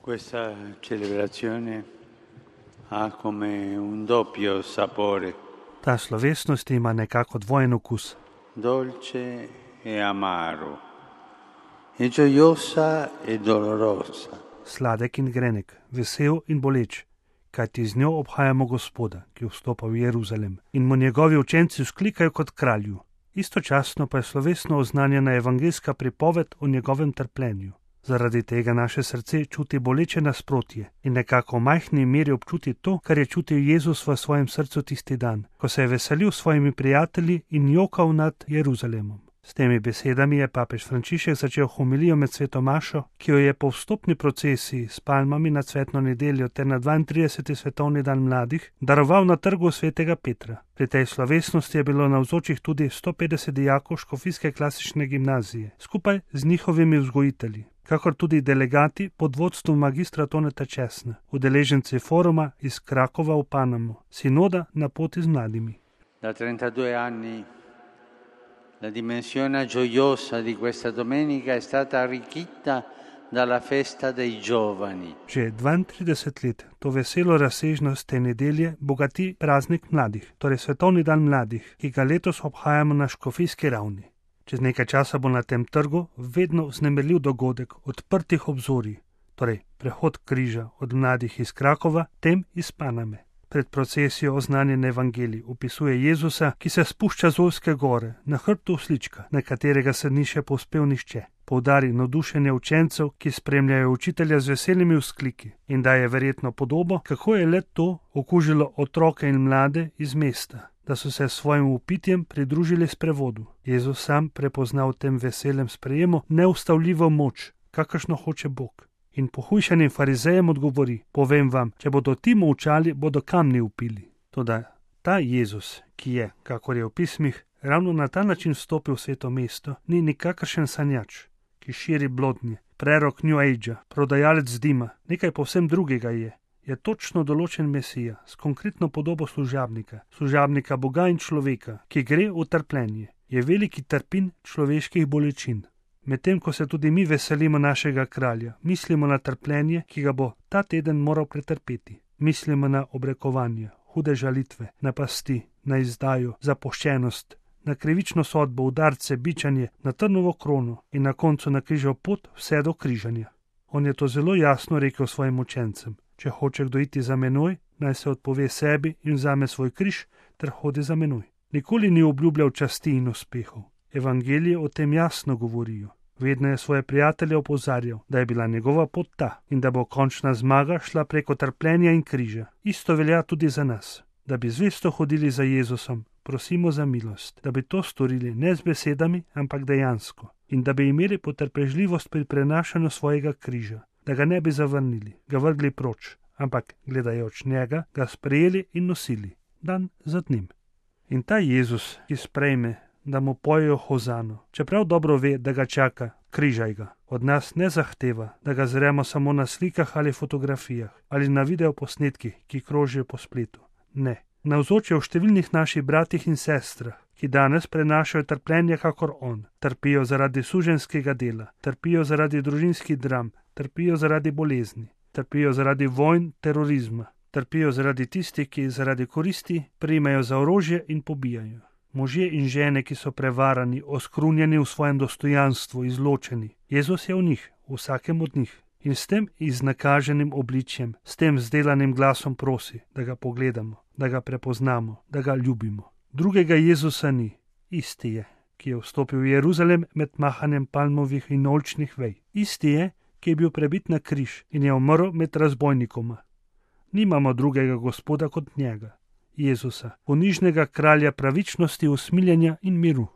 Questa celebrazione ha come un doppio sapore, Ta slovesnost ima nekako dvojen okus. dolce e amaro, e gioiosa e dolorosa. Sladek in grenek, vesel in boleč, kajti z njo obhajamo Gospoda, ki vstopa v Jeruzalem in mu njegovi učenci vzklikajo kot kralju. Istočasno pa je slovesno oznanjena evangeljska pripoved o njegovem trpljenju. Zaradi tega naše srce čuti boleče nasprotje in nekako v majhni meri občuti to, kar je čutil Jezus v svojem srcu tisti dan, ko se je veselil s svojimi prijatelji in jokal nad Jeruzalemom. S temi besedami je papež Frančišek začel homilijo med sveto mašo, ki jo je po vstopni procesiji s palmami na cvetno nedeljo ter na 32. svetovni dan mladih daroval na trgu svetega Petra. Pri tej slovesnosti je bilo navzočih tudi 150 dijakov škofijske klasične gimnazije, skupaj z njihovimi vzgojitelji, kakor tudi delegati pod vodstvom magistra Toneta Česna, udeleženci foruma iz Krakova v Panamu, sinoda na poti z mladimi. Da 32 anni la dimensione gioiosa di questa domenica è stata arricchita dalla festa dei giovani. Že 32 let to veselo razsežnost te nedelje bogati praznik mladih, torej svetovni dan mladih, ki ga letos obhajamo na škofijski ravni. Čez nekaj časa bo na tem trgu vedno vznemirljiv dogodek odprtih obzorij, torej prehod križa od mladih iz Krakova, tem iz Paname. Pred procesijo oznanjen evangelij opisuje Jezusa, ki se spušča z Olske gore, na hrbtu oslička, na katerega se ni še povzpel nihče. Poudari navdušenje učencev, ki spremljajo učitelja z veselimi vzkliki in daje verjetno podobo, kako je le to okužilo otroke in mlade iz mesta, da so se s svojim upitjem pridružili sprevodu. Jezus sam prepozna v tem veselem sprejemu neustavljivo moč, kakršno hoče Bog. In pohujšanim farizejem odgovori: povem vam, če bodo ti molčali, bodo kamni vpili. Toda ta Jezus, ki je, kakor je v pismih, ravno na ta način vstopil v sveto mesto, ni nikakršen sanjač, ki širi blodnje, prerok New Age, prodajalec dima, nekaj povsem drugega je točno določen Mesija s konkretno podobo služabnika Boga in človeka, ki gre v trpljenje, je veliki trpin človeških bolečin. Medtem ko se tudi mi veselimo našega kralja, mislimo na trpljenje, ki ga bo ta teden moral pretrpeti. Mislimo na obrekovanje, hude žalitve, na pasti, na izdajo, zapuščenost, na krivično sodbo, udarce, bičanje, na trnovo krono in na koncu na križev pot vse do križanja. On je to zelo jasno rekel svojim učencem: če hoče kdo iti za menoj, naj se odpove sebi in vzame svoj križ ter hodi za menoj. Nikoli ni obljubljal časti in uspehov. Evangelije o tem jasno govorijo. Vedno je svoje prijatelje opozarjal, da je bila njegova pot ta in da bo končna zmaga šla preko trpljenja in križa. Isto velja tudi za nas. Da bi zvesto hodili za Jezusom, prosimo za milost, da bi to storili ne z besedami, ampak dejansko, in da bi imeli potrpežljivost pri prenašanju svojega križa, da ga ne bi zavrnili, ga vrgli proč, ampak gledajoč njega, ga sprejeli in nosili, dan za dnem. In ta Jezus, ki sprejme, da mu pojejo hozano, čeprav dobro ve, da ga čaka, križaj ga. Od nas ne zahteva, da ga zremo samo na slikah ali fotografijah ali na videoposnetkih, ki krožijo po spletu. Ne. Navzoč je v številnih naših bratih in sestrah, ki danes prenašajo trpljenje kakor on. Trpijo zaradi suženjskega dela, trpijo zaradi družinskih dram, trpijo zaradi bolezni, trpijo zaradi vojn, terorizma, trpijo zaradi tistih, ki zaradi koristi primajo za orožje in pobijajo. Možje in žene, ki so prevarani, oskrunjeni v svojem dostojanstvu, izločeni. Jezus je v njih, v vsakem od njih. In s tem iznakaženim obličjem, s tem zdelanim glasom prosi, da ga pogledamo, da ga prepoznamo, da ga ljubimo. Drugega Jezusa ni, isti je, ki je vstopil v Jeruzalem med mahanjem palmovih in oljčnih vej. Isti je, ki je bil prebit na križ in je umrl med razbojnikoma. Nimamo drugega Gospoda kot njega, Jezusa, ponižnega kralja pravičnosti, usmiljenja in miru.